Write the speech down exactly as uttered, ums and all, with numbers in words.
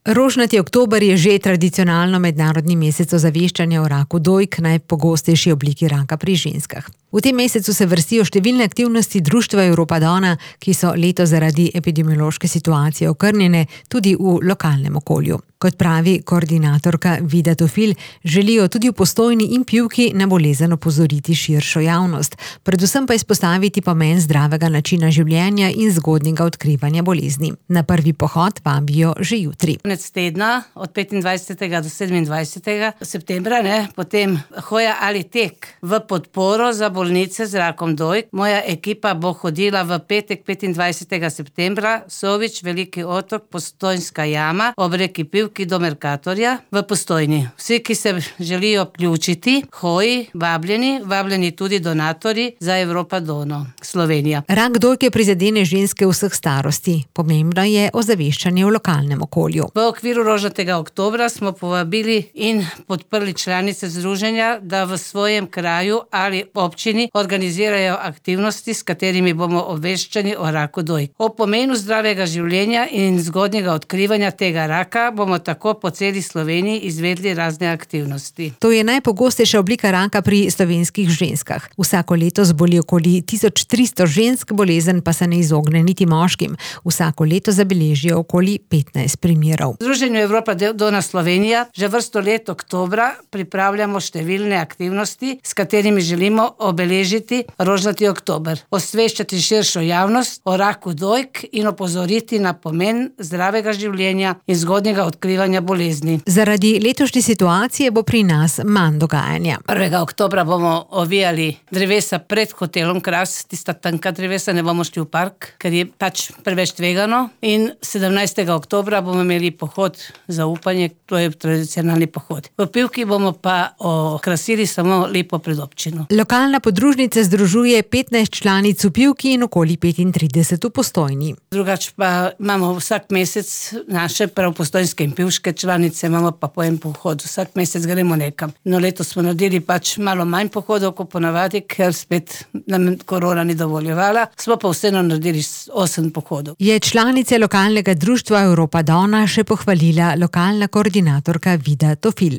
Rožnati oktober je že tradicionalno mednarodni mesec ozaveščanja o raku dojk, najpogostejši obliki raka pri ženskah. V tem mesecu se vrstijo številne aktivnosti Društva Europa Donna, ki so letos zaradi epidemiološke situacije okrnjene tudi v lokalnem okolju. Kot pravi koordinatorka Vida Tofil, želijo tudi v Postojni in Pivki na bolezen opozoriti širšo javnost, predvsem pa izpostaviti pomen zdravega načina življenja in zgodnjega odkrivanja bolezni. Na prvi pohod vabijo že jutri. Konec tedna, od petindvajsetega do sedemindvajsetega septembra, ne, potem hoja ali tek v podporo za bolnice z rakom dojk. Moja ekipa bo hodila v petek petindvajsetega septembra, Sovič, Veliki otok, Postojnska jama, ob reki Pivki do Mercatorja v Postojni. Vsi, ki se želijo vključiti, hoji, vabljeni, vabljeni tudi donatorji za Europa Donna, Slovenija. Rak dojke prizadene ženske vseh starosti. Pomembno je ozaveščanje v lokalnem okolju. V okviru Rožnatega oktobra smo povabili in podprli članice združenja, da v svojem kraju ali občini organizirajo aktivnosti, s katerimi bomo obveščeni o raku dojk. O pomenu zdravega življenja in zgodnjega odkrivanja tega raka bomo tako po celi Sloveniji izvedli razne aktivnosti. To je najpogostejša oblika raka pri slovenskih ženskah. Vsako leto zboli okoli tisoč tristo žensk, bolezen pa se ne izogne niti moškim. Vsako leto zabeležijo okoli petnajst primerov. V Združenju Europa Donna Slovenija že vrsto let oktobra pripravljamo številne aktivnosti, s katerimi želimo obeležiti rožnati oktober, osveščati širšo javnost o raku dojk in opozoriti na pomen zdravega življenja in zgodnjega odkrivanja bolezni. Zaradi letošnje situacije bo pri nas manj dogajanja. prvega oktobra bomo ovijali drevesa pred hotelom Kras, tista tanka drevesa, ne bomo šli v park, ker je pač preveč tvegano, in sedemnajstega oktobra bomo imeli pohod za upanje, to je tradicionalni pohod. V Pivki bomo pa okrasili samo lepo predobčino. Lokalna podružnica združuje petnajst članic v Pivki in okoli petintrideset v Postojni. Drugač pa imamo vsak mesec naše prav postojnske in pivške članice, imamo pa po en pohod. Vsak mesec gremo nekam. No, letos smo naredili pač malo manj pohodov, kot ponavadi, ker spet nam korona ni dovoljevala. Smo pa vseeno naredili osem pohodov. Je članice lokalnega društva Europa Donna še pohvalila lokalna koordinatorka Vida Tofil.